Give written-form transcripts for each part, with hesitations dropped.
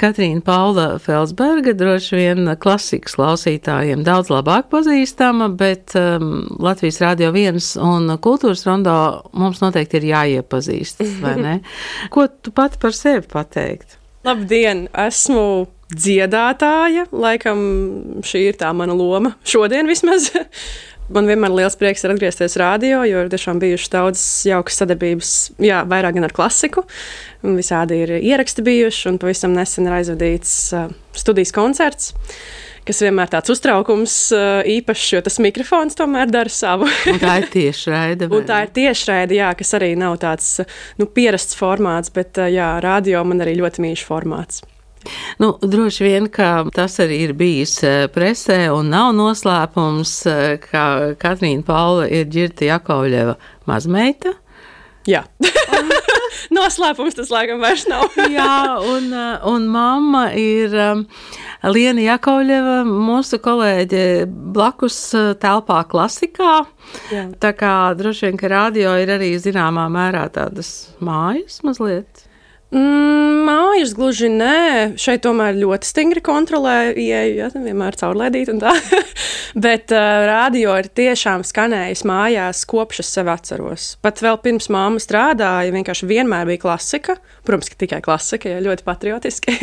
Katrīna Paula Felsberga, droši vien klasikas klausītājiem daudz labāk pazīstama, bet Latvijas Radio 1 un Kultūras rondo mums noteikti ir jāiepazīstas, vai ne? Ko tu pati par sevi pateikt? Labdien, esmu dziedātāja, laikam šī ir tā mana loma šodien vismaz. Man vienmēr liels prieks ir atgriezties radio, jo ir tiešām bijušas daudzas jaukas sadarbības, vairāk gan ar klasiku. Visādi ir ieraksti bijuši, un pavisam nesen ir aizvadīts studijas koncerts, kas vienmēr tāds uztraukums īpašs, jo tas mikrofons tomēr dara savu. Un tā ir tiešraide. Un tā ir tiešraide, kas arī nav tāds pierasts formāts, bet radio man arī ļoti mīļš formāts. Droši vien, ka tas arī ir bijis presē un nav noslēpums, ka Katrīna Paula ir Ģirta Jakovļeva mazmeita. Jā. Noslēpums tas laikam vairs nav. Jā, un mamma ir Liena Jakovļeva, mūsu kolēģe blakus telpā klasikā. Jā. Tā kā droši vien, ka radio ir arī zināmā mērā tādas mājas mazliet. Mājas gluži nē, šeit tomēr ļoti stingri kontrolē ieeju, vienmēr caurlaidīt un tā. Bet radio ir tiešām skanējis mājās, kopš es sevi atceros. Pat vēl pirms mamma strādāja, vienkārši vienmēr bija klasika. Protams, ka tikai klasika, ļoti patriotiski.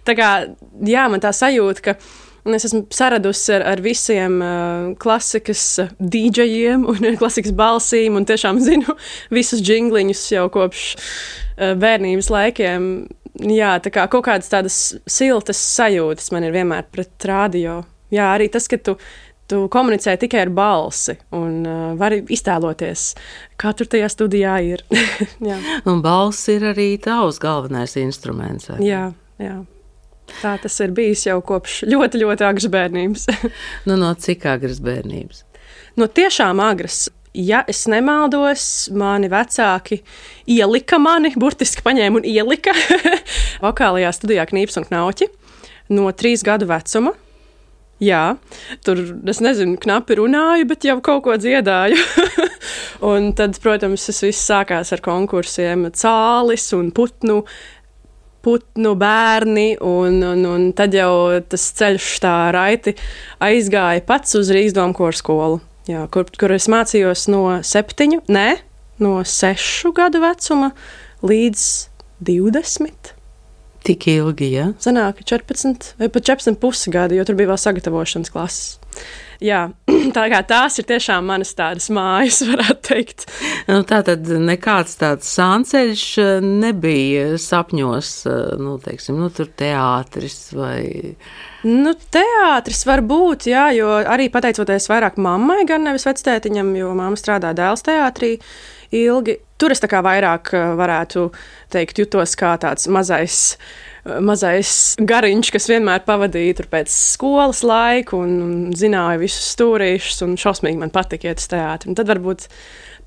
Tā kā, man tā sajūta, ka es esmu saradusi ar visiem klasikas dīdžejiem un klasikas balsīm un tiešām zinu visus džingliņus jau kopš bērnības laikiem. Jā, tā kā kaut kādas tādas siltas sajūtas man ir vienmēr pret radio. Jā, arī tas, ka tu komunicē tikai ar balsi un vari iztēloties, kā tur tajā studijā ir. Jā. Un balss ir arī tavs galvenais instruments. Vai? Jā. Tā tas ir bijis jau kopš ļoti, ļoti agras bērnības. No cik agras bērnības? No tiešām agras. Ja es nemaldos, mani vecāki ielika mani, burtiski paņēma un ielika vokālajā studijā Knīps un Knauķi no 3 gadu vecuma. Jā, tur, es nezinu, knapi runāju, bet jau kaut ko dziedāju. Un tad, protams, tas viss sākās ar konkursiem Cālis un Putnu bērni, un tad jau tas ceļš tā raiti aizgāja pats uz Rīgas domu koru skolu, kur es mācījos no 6 gadu vecuma līdz 20. Tik ilgi, ja? Sanāk 14 vai pat 14,5 gadi, jo tur bija vēl sagatavošanas klases. Jā, tā kā tās ir tiešām manas tādas mājas, varētu teikt. Tātad nekāds tāds sānceļš nebija sapņos, tur teātris vai... Teātris var būt, jo arī pateicoties vairāk mammai, gan nevis vectētiņam, jo mamma strādā Dēls teātrī ilgi. Tur es tā kā vairāk varētu teikt, jutos kā tāds mazais gariņš, kas vienmēr pavadīja tur pēc skolas laiku un zināja visus stūrīšus un šausmīgi man patika iet uz teātri. Un tad varbūt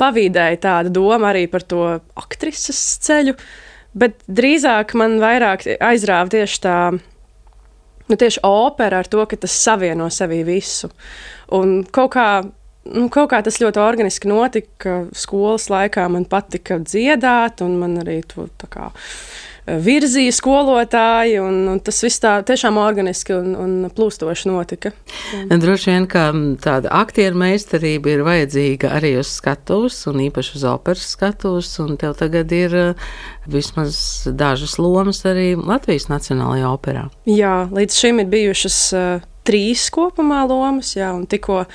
pavīdēja tāda doma arī par to aktrises ceļu, bet drīzāk man vairāk aizrāva tieši tā, tieši opera ar to, ka tas savieno sevī visu. Un kaut kā tas ļoti organiski notika, skolas laikā man patika dziedāt un man arī to tā kā virzīja skolotāji, un tas viss tā tiešām organiski un plūstoši notika. Droši vien, ka tāda aktieru meistarība ir vajadzīga arī uz skatuves, un īpaši uz operas skatuves, un tev tagad ir vismaz dažas lomas arī Latvijas Nacionālajā operā. Jā, līdz šim ir bijušas 3 kopumā lomas, un tikko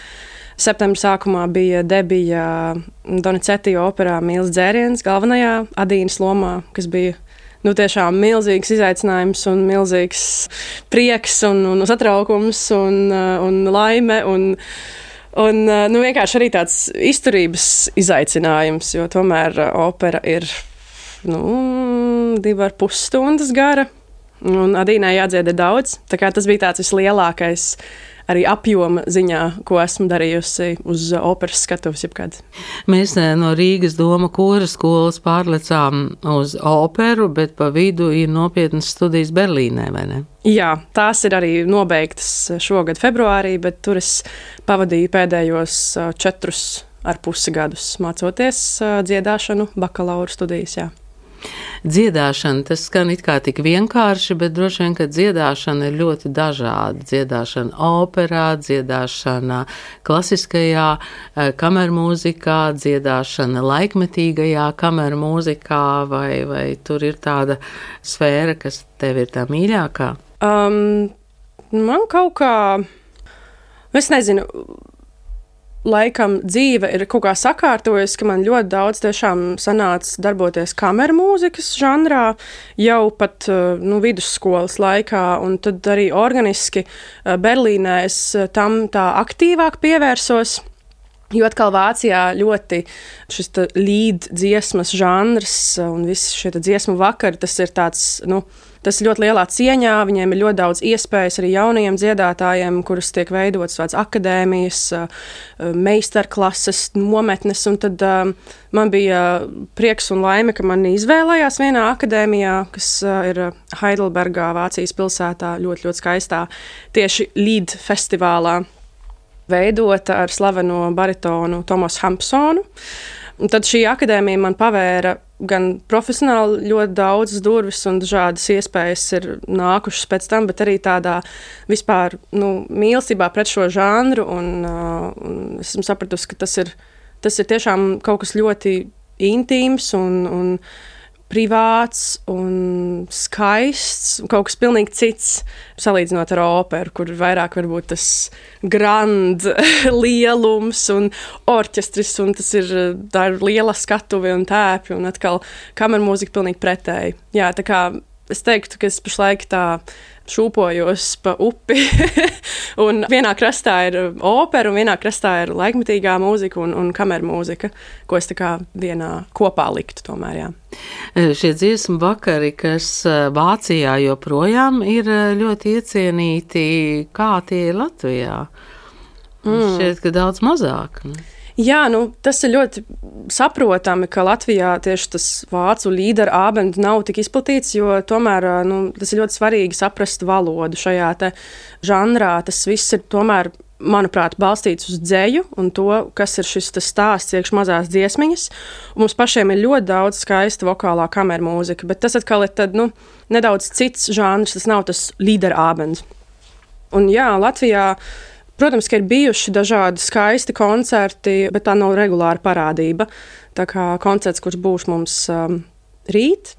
septembra sākumā bija debija Donizetti operā Mīlas dzēriens galvenajā Adīnas lomā, kas bija tiešām milzīgs izaicinājums un milzīgs prieks un satraukums un laime un vienkārši arī tāds izturības izaicinājums, jo tomēr opera ir 2,5 stundas gara un Adīnai jādzieda daudz. Tā kā tas bija tāds vislielākais arī apjoma ziņā, ko esmu darījusi uz operas skatuves jebkad. Mēs no Rīgas doma kora skolas pārlecām uz operu, bet pa vidu ir nopietnas studijas Berlīnē, vai ne? Jā, tās ir arī nobeigtas šogad februārī, bet tur es pavadīju pēdējos 4,5 gadus mācoties dziedāšanu bakalaura studijas, jā. Dziedāšana, tas skan it kā tik vienkārši, bet droši vien, ka dziedāšana ir ļoti dažāda. Dziedāšana operā, dziedāšana klasiskajā kamermūzikā, dziedāšana laikmetīgajā kamermūzikā, vai tur ir tāda sfēra, kas tev ir tā mīļākā? Man kaut kā, es nezinu, laikam dzīve ir kaut kā sakārtojusi, ka man ļoti daudz tiešām sanāca darboties kamermūzikas žanrā jau pat vidusskolas laikā, un tad arī organiski Berlīnē es tam tā aktīvāk pievērsos. Jo atkal Vācijā ļoti šis līd dziesmas žanrs un visi šie dziesmu vakari, tas ir tāds, tas ļoti lielā cieņā, viņiem ir ļoti daudz iespējas arī jaunajiem dziedātājiem, kuras tiek veidotas tāds akadēmijas, meistarklases, nometnes, un tad man bija prieks un laime, ka mani izvēlējās vienā akadēmijā, kas ir Heidelbergā, Vācijas pilsētā, ļoti, ļoti skaistā, tieši līd festivālā, veidota ar slaveno baritonu Tomasu Hampsonu. Un tad šī akadēmija man pavēra gan profesionāli ļoti daudzas durvis un dažādas iespējas ir nākušas pēc tam, bet arī tādā vispār mīlestībā pret šo žanru. Un esmu sapratusi, ka tas ir tiešām kaut kas ļoti intīms un privāts un skaists, kaut kas pilnīgi cits, salīdzinot ar operu, kur vairāk varbūt tas grand lielums un orķestris, un tā ir liela skatuve un tēpi, un atkal kamermūzika pilnīgi pretēji. Jā, tā kā es teiktu, ka es pašlaik tā šūpojos pa upi, un vienā krastā ir opera, un vienā krastā ir laikmetīgā mūzika un kamermūzika, ko es tā kā vienā kopā liktu tomēr, jā. Šie dziesmu vakari, kas Vācijā joprojām ir ļoti iecienīti, kā tie ir Latvijā? Šķiet, ka daudz mazāk. Jā, tas ir ļoti saprotami, ka Latvijā tieši tas vācu līderu ābendu nav tik izplatīts, jo tomēr tas ir ļoti svarīgi saprast valodu šajā te žanrā. Tas viss ir tomēr, manuprāt, balstīts uz dzeju un to, kas ir šis stāsts iekš mazās dziesmiņas. Un mums pašiem ir ļoti daudz skaista vokālā kamermūzika, bet tas atkal ir tad, nedaudz cits žanrs, tas nav tas līderu ābends. Un jā, Latvijā protams, ka ir bijuši dažādi skaisti koncerti, bet tā nav regulāra parādība. Tā kā koncerts, kurš būs mums rīt,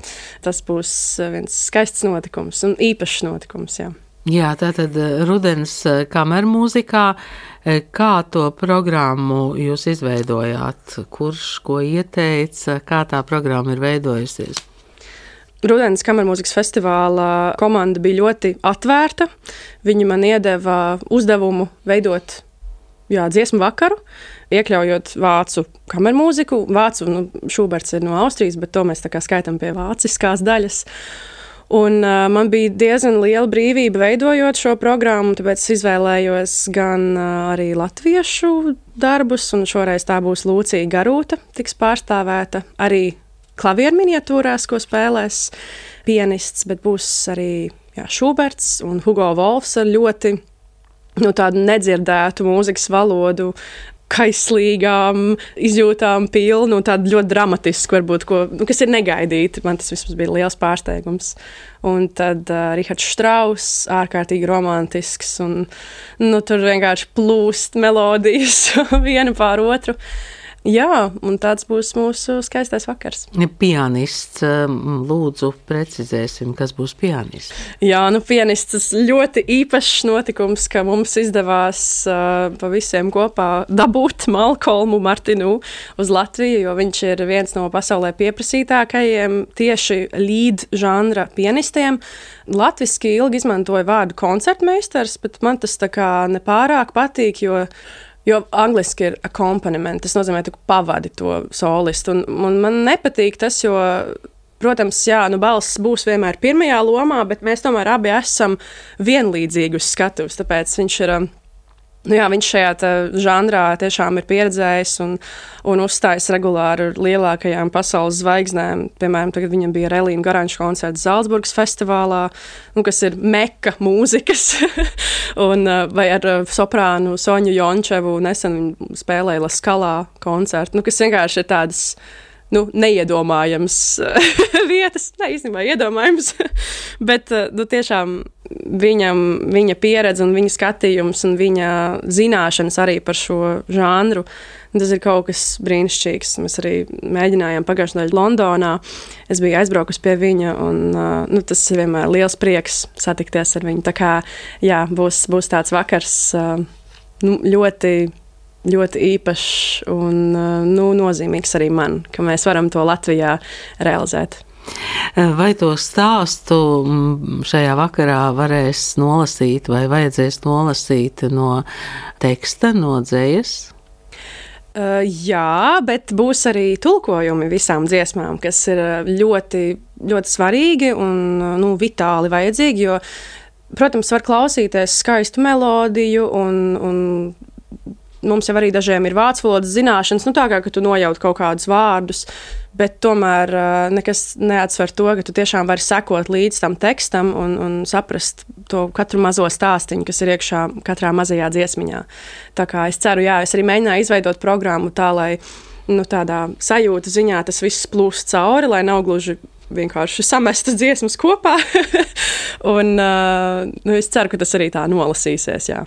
tas būs viens skaists notikums un īpašs notikums, jā. Jā, tātad rudens kamermūzikā, kā to programmu jūs izveidojāt? Kurš ko ieteica, kā tā programma ir veidojusies? Rudens kamermūzikas festivāla komanda bija ļoti atvērta. Viņi man iedeva uzdevumu veidot dziesmu vakaru, iekļaujot vācu kamermūziku. Vācu, Šuberts ir no Austrijas, bet to mēs tā kā skaitam pie vāciskās daļas. Un man bija diezgan liela brīvība veidojot šo programmu, tāpēc es izvēlējos gan arī latviešu darbus, un šoreiz tā būs Lūcija Garūta, tiks pārstāvēta arī klavieru miniatūrās, ko spēlēs pianists, bet būs arī Šuberts un Hugo Wolfs ar ļoti tādu nedzirdētu mūzikas valodu, kaislīgām izjūtām pilnu un tādu ļoti dramatisku, varbūt, kas ir negaidīti. Man tas vismaz bija liels pārsteigums. Un tad Rihards Štrauss, ārkārtīgi romantisks, un tur vienkārši plūst melodijas viena pār otru. Jā, un tāds būs mūsu skaistais vakars. Pianists, lūdzu, precizēsim, kas būs pianists. Jā, pianists, tas ļoti īpašs notikums, ka mums izdevās pa visiem kopā dabūt Malkolmu Martinu uz Latviju, jo viņš ir viens no pasaulē pieprasītākajiem tieši līd žanra pianistiem. Latviski ilgi izmantoja vārdu koncertmeistars, bet man tas tā kā nepārāk patīk, jo angliski ir accompaniment, tas nozīmē, ka pavadi to solistu. Un man nepatīk tas, jo, protams, balss būs vienmēr pirmajā lomā, bet mēs tomēr abi esam vienlīdzīgi uz skatuves, tāpēc viņš ir, viņš šajā žanrā tiešām ir pieredzējis un uzstājas regulāri ar lielākajām pasaules zvaigznēm. Piemēram, tagad viņam bija Relīna Garanša koncerts Zalcburgas festivālā, kas ir meka mūzikas, vai ar soprānu Soņu Jončevu nesen spēlēja La Skalā koncertu, kas vienkārši ir tādas neiedomājams vietas, īstenībā iedomājams, bet tiešām viņa pieredze un viņa skatījums un viņa zināšanas arī par šo žanru, tas ir kaut kas brīnišķīgs. Mēs arī mēģinājām pagājušajā nedēļā Londonā, es biju aizbraukusi pie viņa, un tas ir vienmēr liels prieks satikties ar viņu. Tā kā, jā, būs tāds vakars ļoti ļoti īpašs un nozīmīgs arī man, ka mēs varam to Latvijā realizēt. Vai to stāstu šajā vakarā varēs nolasīt vai vajadzēs nolasīt no teksta, no dzējas? Jā, bet būs arī tulkojumi visām dziesmām, kas ir ļoti, ļoti svarīgi un vitāli vajadzīgi, jo, protams, var klausīties skaistu melodiju un mums jau arī dažiem ir vācu valodas zināšanas, tā kā, ka tu nojaut kaut kādus vārdus, bet tomēr nekas neatsver to, ka tu tiešām vari sekot līdz tam tekstam un saprast to katru mazo stāstiņu, kas ir iekšā katrā mazajā dziesmiņā. Tā kā es ceru, es arī mēģināju izveidot programmu tā, lai tādā sajūta ziņā tas viss plūst cauri, lai nav gluži vienkārši samestas dziesmas kopā. Un es ceru, ka tas arī tā nolasīsies, jā.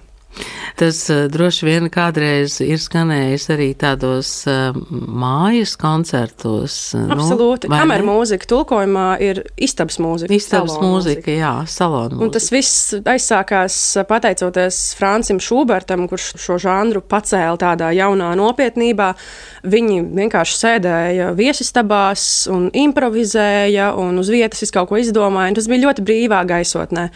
Tas droši vien kādreiz ir skanējis arī tādos mājas koncertos. Absolūti. Kameru mūzika tulkojumā ir istabas mūzika. Istabas mūzika, jā, salona mūzika. Un tas viss aizsākās pateicoties Francim Šubertam, kurš šo žanru pacēla tādā jaunā nopietnībā. Viņi vienkārši sēdēja viesistabās un improvizēja un uz vietas visu kaut ko izdomāja. Un tas bija ļoti brīvā gaisotnē.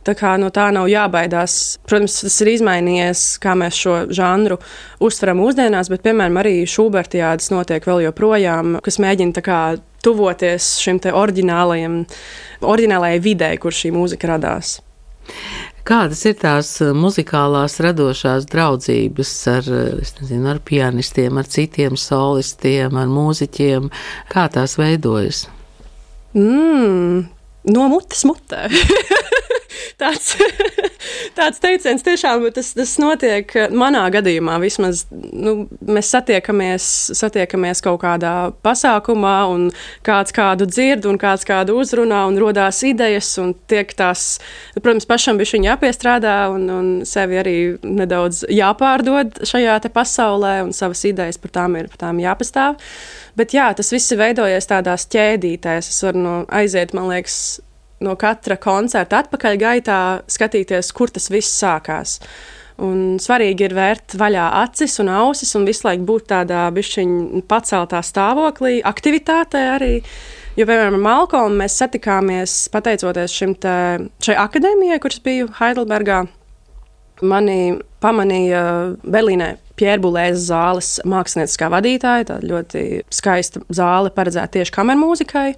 Tā kā no tā nav jābaidās. Protams, tas ir izmainījies, kā mēs šo žanru uztveram mūsdienās, bet, piemēram, arī Šubertiādes notiek vēl joprojām, kas mēģina tā kā tuvoties šim te oriģinālajai videi, kur šī mūzika radās. Kādas ir tās muzikālās radošās draudzības ar pianistiem, ar citiem solistiem, ar mūziķiem? Kā tās veidojas? No mutes mutē. Tāds teiciens tiešām tas notiek manā gadījumā. Vismaz mēs satiekamies kaut kādā pasākumā un kāds kādu dzird un kāds kādu uzrunā un rodās idejas un tiek tās, protams, pašam bišķiņ jāpiestrādā un sevi arī nedaudz jāpārdod šajā te pasaulē un savas idejas par tām jāpastāv. Bet jā, tas viss ir veidojies tādās ķēdītēs. Es varu aiziet, man liekas, no katra koncerta atpakaļ gaitā skatīties, kur tas viss sākās. Un svarīgi ir vērt vaļā acis un ausis un visu laiku būt tādā bišķiņ paceltā stāvoklī, aktivitātē arī. Jo, piemēram, ar Malkolmu mēs satikāmies pateicoties šai akadēmijai, kuras biju Heidelbergā. Mani pamanīja Berlīnē Pierre Boulez zāles mākslinieckā vadītāja, tāda ļoti skaista zāle paredzēta tieši kamermūzikai.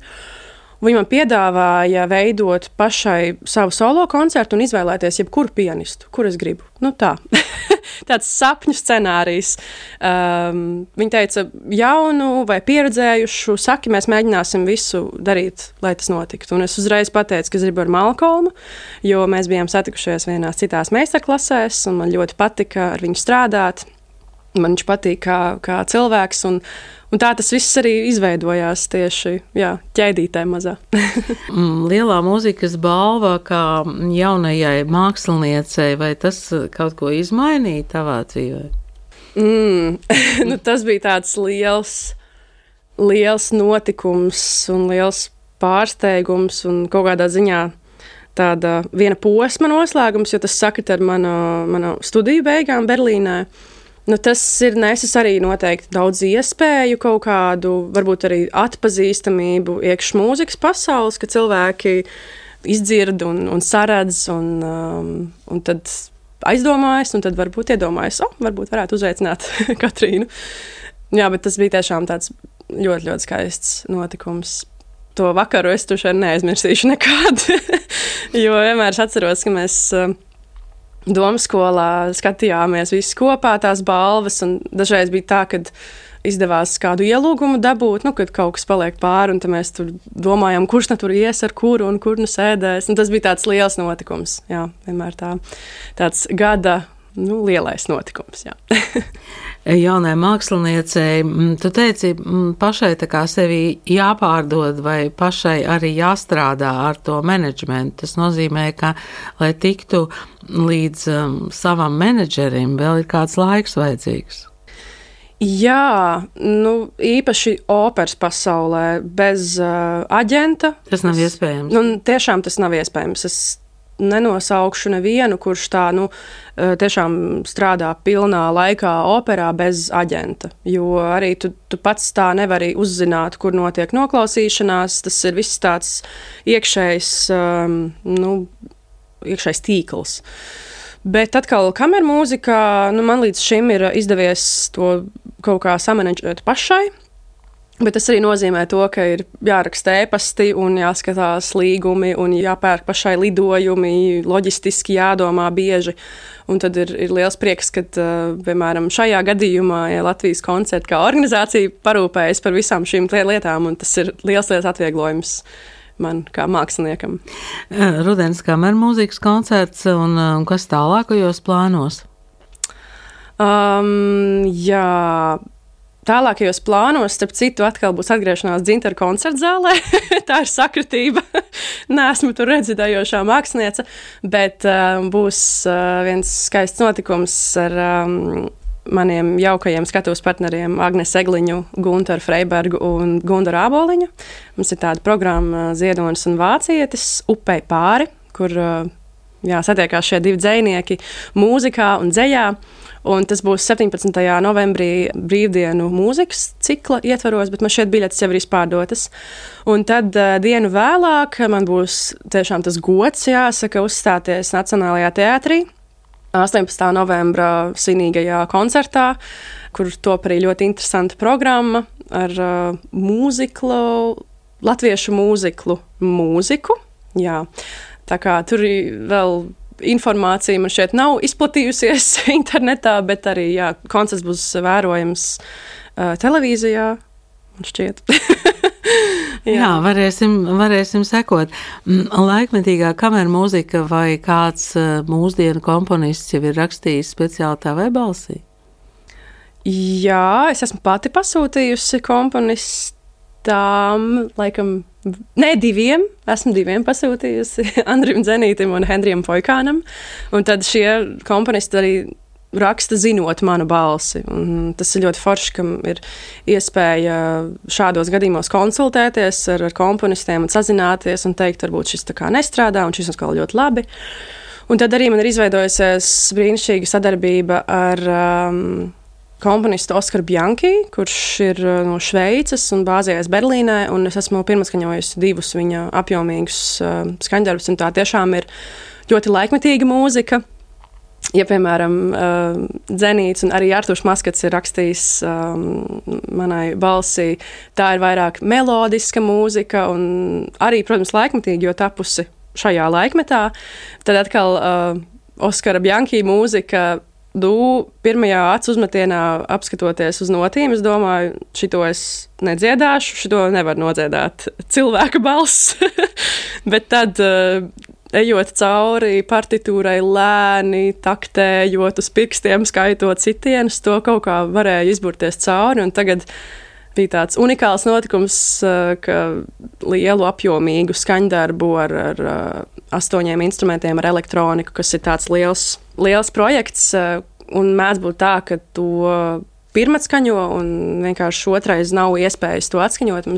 Viņa man piedāvāja veidot pašai savu solo koncertu un izvēlēties jebkuru pianistu, kur es gribu. Tā. Tāds sapņu scenārijs. Viņa teica, jaunu vai pieredzējušu, saki, mēs mēģināsim visu darīt, lai tas notiktu. Un es uzreiz pateicu, ka es gribu ar Malkolmu, jo mēs bijām satikušies vienās citās meistarklasēs, un man ļoti patika ar viņu strādāt. Man viņš patīk kā cilvēks, un tā tas viss arī izveidojās tieši ķēdītē mazā. Lielā mūzikas balva kā jaunajai māksliniecei, vai tas kaut ko izmainīja tavā dzīvē? Tas bija tāds liels notikums un liels pārsteigums un kaut kādā ziņā tāda viena posma noslēgums, jo tas sakrit ar manu studiju beigām Berlīnē. Tas ir nesis arī noteikti daudz iespēju, kaut kādu, varbūt arī atpazīstamību iekš mūzikas pasaules, ka cilvēki izdzird un saredz un tad aizdomājas, un tad varbūt iedomājas, varbūt varētu uzveicināt Katrīnu. Jā, bet tas bija tiešām tāds ļoti, ļoti skaists notikums. To vakaru es tuši neaizmirsīšu nekad, jo vienmēr es atceros, ka mēs Domskolā skatījāmies visi kopā tās balvas, un dažreiz bija tā, kad izdevās kādu ielūgumu dabūt, kad kaut kas paliek pāri, un tad mēs tur domājam, kurš tur ies ar kuru un kur sēdēs. Un tas bija tāds liels notikums. Jā, vienmēr tāds gada lielais notikums. Jā. Jaunai māksliniecei, tu teici, pašai tā kā sevi jāpārdod vai pašai arī jāstrādā ar to menedžmentu. Tas nozīmē, ka, lai tiktu līdz savam menedžerim, vēl ir kāds laiks vajadzīgs. Jā, īpaši operas pasaulē bez aģenta. Tas nav iespējams. Tiešām tas nav iespējams. Es nenosaukšu nevienu, kurš tā tiešām strādā pilnā laikā operā bez aģenta. Jo arī tu pats tā nevari uzzināt, kur notiek noklausīšanās. Tas ir viss tāds iekšējs tīkls. Bet atkal kamermūzikā, man līdz šim ir izdevies to kaut kā samanedžēt pašai. Bet tas arī nozīmē to, ka ir jāraksta ēpasti un jāskatās līgumi un jāpērk pašai lidojumi, loģistiski jādomā bieži. Un tad ir liels prieks, ka, piemēram, šajā gadījumā Latvijas koncerti kā organizācija parūpējas par visām šīm lietām, un tas ir liels atvieglojums man kā māksliniekam. Rudens kamermūzikas koncerts un kas tālākajos plānos? Jā... Tālākajos plānos, starp citu, atkal būs atgriešanās Dzintaru koncertzālē. Tā ir sakritība. Neesmu tur redzējošā māksliniece, bet būs viens skaists notikums ar maniem jaukajiem skatuves partneriem Agnesu Egliņu, Guntaru Freibergu un Gundaru Āboliņu. Mums ir tāda programma Ziedonis un Vācietis Upei pāri, kur satiekās šie divi dzejnieki mūzikā un dzejā. Un tas būs 17. novembrī brīvdienu mūzikas cikla ietvaros, bet man šeit biļetes jau ir izpārdotas. Un tad dienu vēlāk man būs tiešām tas gods, jāsaka, uzstāties Nacionālajā teātrī 18. novembra svinīgajā koncertā, kur top arī ļoti interesanta programma ar latviešu mūziku. Jā. Tā kā tur vēl informācija man šeit nav izplatījusies internetā, bet arī koncerts būs vērojams televīzijā, man šķiet. Jā, varēsim sekot. Laikmetīgā kamermūzika vai kāds mūsdienu komponists jau ir rakstījis speciāli tavai balsī? Jā, es esmu pati pasūtījusi komponistām, laikam, diviem. Esmu diviem pasūtījusi, Andrim Dzenītim un Henrijam Foikānam. Un tad šie komponisti arī raksta zinot manu balsi. Un tas ir ļoti forši, ka ir iespēja šādos gadījumos konsultēties ar komponistiem un sazināties un teikt, varbūt šis tā kā nestrādā un šis atkal ļoti labi. Un tad arī man ir izveidojusies brīnišķīga sadarbība ar komponistu Oskaru Bjanki, kurš ir no Šveices un bāzējies Berlīnē, un es esmu pirmatskaņojusi divus viņa apjomīgus skaņdarbus, un tā tiešām ir ļoti laikmetīga mūzika. Ja, piemēram, Dzenīts un arī Artūrs Maskats ir rakstījis manai balsī, tā ir vairāk melodiska mūzika un arī, protams, laikmetīgi, jo tapusi šajā laikmetā. Tad atkal Oskara Bjanki mūzika pirmajā acu uzmetienā apskatoties uz notīm, es domāju, šito es nedziedāšu, šito nevar nodziedāt cilvēka balss. Bet tad, ejot cauri partitūrai lēni, taktējot uz pirkstiem, skaitot citienus, to kaut kā varēja izburties cauri, un tagad bija tāds unikāls notikums, ka lielu apjomīgu skaņdarbu ar 8 instrumentiem, ar elektroniku, kas ir tāds liels projekts, un mēdz būt tā, ka to pirmatskaņo, un vienkārši otrais nav iespējas to atskaņot.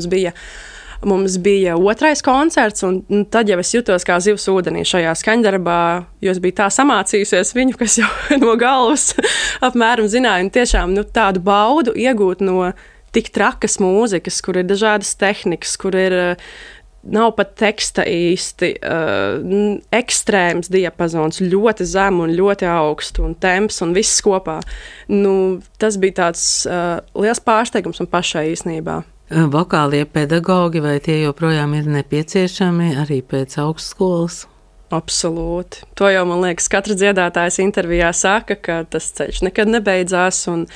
Mums bija otrais koncerts, un tad jau es jutos kā zivs ūdenī šajā skaņdarbā, jo es biju tā samācījusies viņu, kas jau no galvas apmēram zināja, un tiešām tādu baudu iegūt no tik trakas mūzikas, kur ir dažādas tehnikas, kur ir nav pat teksta īsti, ekstrēms diapazons, ļoti zem un ļoti augstu, un temps un viss kopā. Tas bija tāds liels pārsteigums un pašai īsnībā. Vokālie pedagogi, vai tie joprojām ir nepieciešami arī pēc augstskolas? Absolūti. To jau, man liekas, katrs dziedātājs intervijā saka, ka tas ceļš nekad nebeidzās, un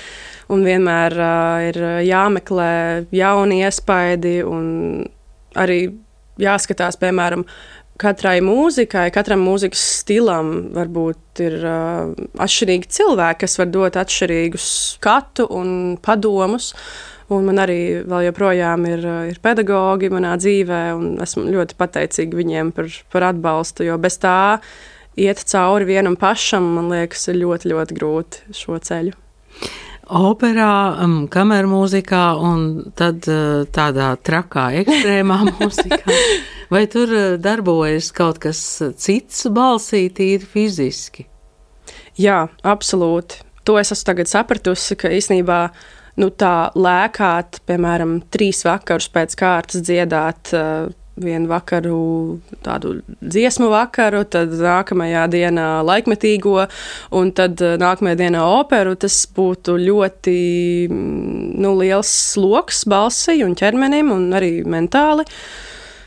vienmēr ir jāmeklē jauni iespaidi, un arī jāskatās, piemēram, katrai mūzikai, katram mūzikas stilam varbūt ir atšķirīgi cilvēki, kas var dot atšķirīgus skatu un padomus. Un man arī vēl joprojām ir pedagogi manā dzīvē, un esmu ļoti pateicīga viņiem par atbalstu, jo bez tā iet cauri vienam pašam, man liekas, ir ļoti, ļoti grūti šo ceļu. Operā, kamermūzikā un tad tādā trakā ekstrēmā mūzikā. Vai tur darbojas kaut kas cits balsī, tīri fiziski? Jā, absolūti. To es esmu tagad sapratusi, ka īstenībā tā lēkāt, piemēram, 3 vakarus pēc kārtas dziedāt vienu vakaru tādu dziesmu vakaru, tad nākamajā dienā laikmetīgo, un tad nākamajā dienā operu, tas būtu ļoti liels sloks balsī un ķermenim, un arī mentāli.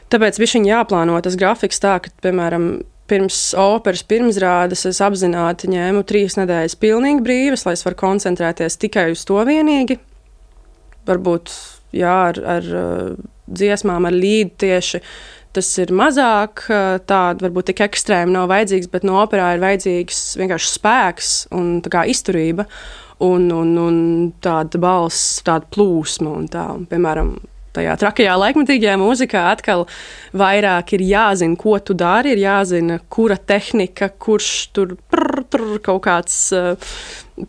Tāpēc bišķiņ jāplāno tas grafiks tā, ka, piemēram, pirms operas pirmsrādes es apzināti ņēmu 3 nedēļas pilnīgi brīvas, lai es varu koncentrēties tikai uz to vienīgi. Varbūt, ar dziesmām, ar līdu tieši tas ir mazāk, tāda varbūt tik ekstrēma nav vajadzīgs, bet no operā ir vajadzīgs vienkārši spēks un tā kā izturība un tāda balss, tāda plūsma un tā. Un, piemēram, tajā trakajā laikmetīgajā mūzikā atkal vairāk ir jāzina, ko tu dari, ir jāzina, kura tehnika, kurš tur kaut kāds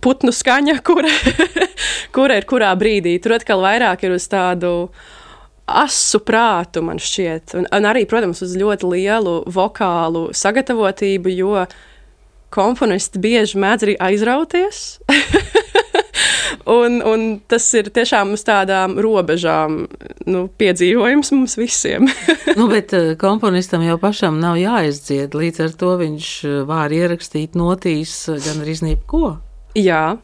putnu skaņa, kura ir kurā brīdī. Tur atkal vairāk ir uz tādu asu prātu, man šķiet. Un arī, protams, uz ļoti lielu vokālu sagatavotību, jo komponisti bieži mēdz arī aizrauties. un tas ir tiešām uz tādām robežām piedzīvojums mums visiem. Bet komponistam jau pašam nav jāizdzied, līdz ar to viņš var ierakstīt notīs gan arī ko. Jā.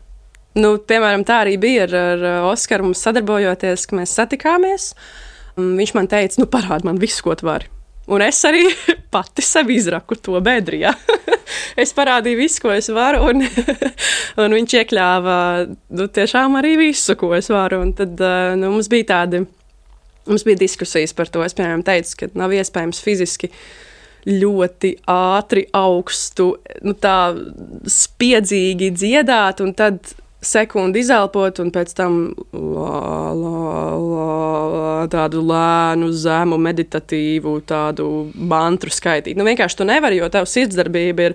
Piemēram, tā arī bija ar Oskaru mums sadarbojoties, ka mēs satikāmies. Viņš man teica, parādi man visu, ko tu vari. Un es arī pati sev izraku to bedri, ja. Es parādīju visu, ko es varu, un viņš iekļāva tiešām arī visu, ko es varu. Un tad mums bija diskusijas par to. Es, piemēram, teicu, ka nav iespējams fiziski ļoti ātri, augstu, tā spiedzīgi dziedāt, un tad sekundi izelpot, un pēc tam tādu lēnu, zemu, meditatīvu tādu mantru skaitīt. Vienkārši tu nevari, jo tavs sirdsdarbība ir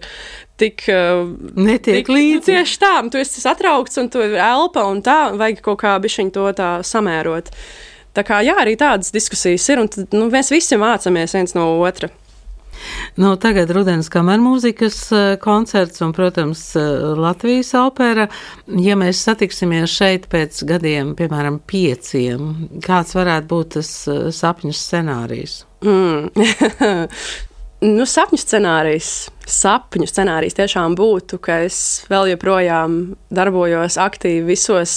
tik netiek līdzi. Tieši tā, tu esi satraukts, un tu elpa, un tā, vajag kaut kā bišķiņ to tā samērot. Tā kā, jā, arī tādas diskusijas ir, un tad, mēs visi mācāmies viens no otra. Tagad rudens kamermūzikas koncerts un, protams, Latvijas opera. Ja mēs satiksimies šeit pēc gadiem, piemēram, 5, kāds varētu būt tas sapņu scenārijs? Sapņu scenārijs tiešām būtu, ka es vēl joprojām darbojos aktīvi visos,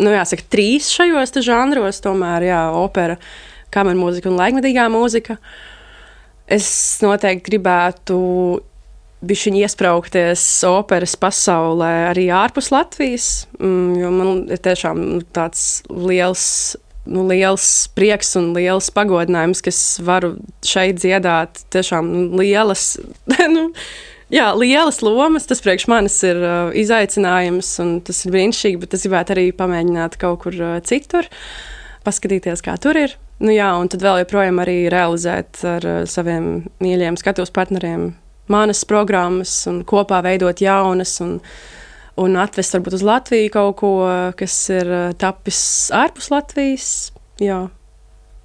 jāsaka, 3 šajos žanros, tomēr, jā, opera, kamermūzika un laikmetīgā mūzika. Es noteikti gribētu bišķiņ iespraukties operas pasaulē arī ārpus Latvijas, jo man ir tiešām tāds liels prieks un liels pagodinājums, ka es varu šeit dziedāt tiešām lielas, lielas lomas. Tas priekš manis ir izaicinājums, un tas ir brīnišķīgi, bet es gribētu arī pamēģināt kaut kur citur, paskatīties, kā tur ir. Un tad vēl joprojām arī realizēt ar saviem mīļiem skatuves partneriem manas programmas un kopā veidot jaunas un atvest varbūt uz Latviju kaut ko, kas ir tapis ārpus Latvijas. Jā.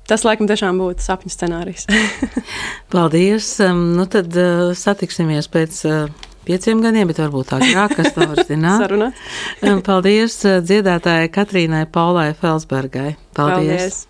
Tas, laikam, tiešām būtu sapņu scenārijs. Paldies! Tad satiksimies pēc 5 gadiem, bet varbūt agrāk, kas to var zināt. Sarunāt. Paldies dziedātājai Katrīnai Paulai Felsbergai. Paldies!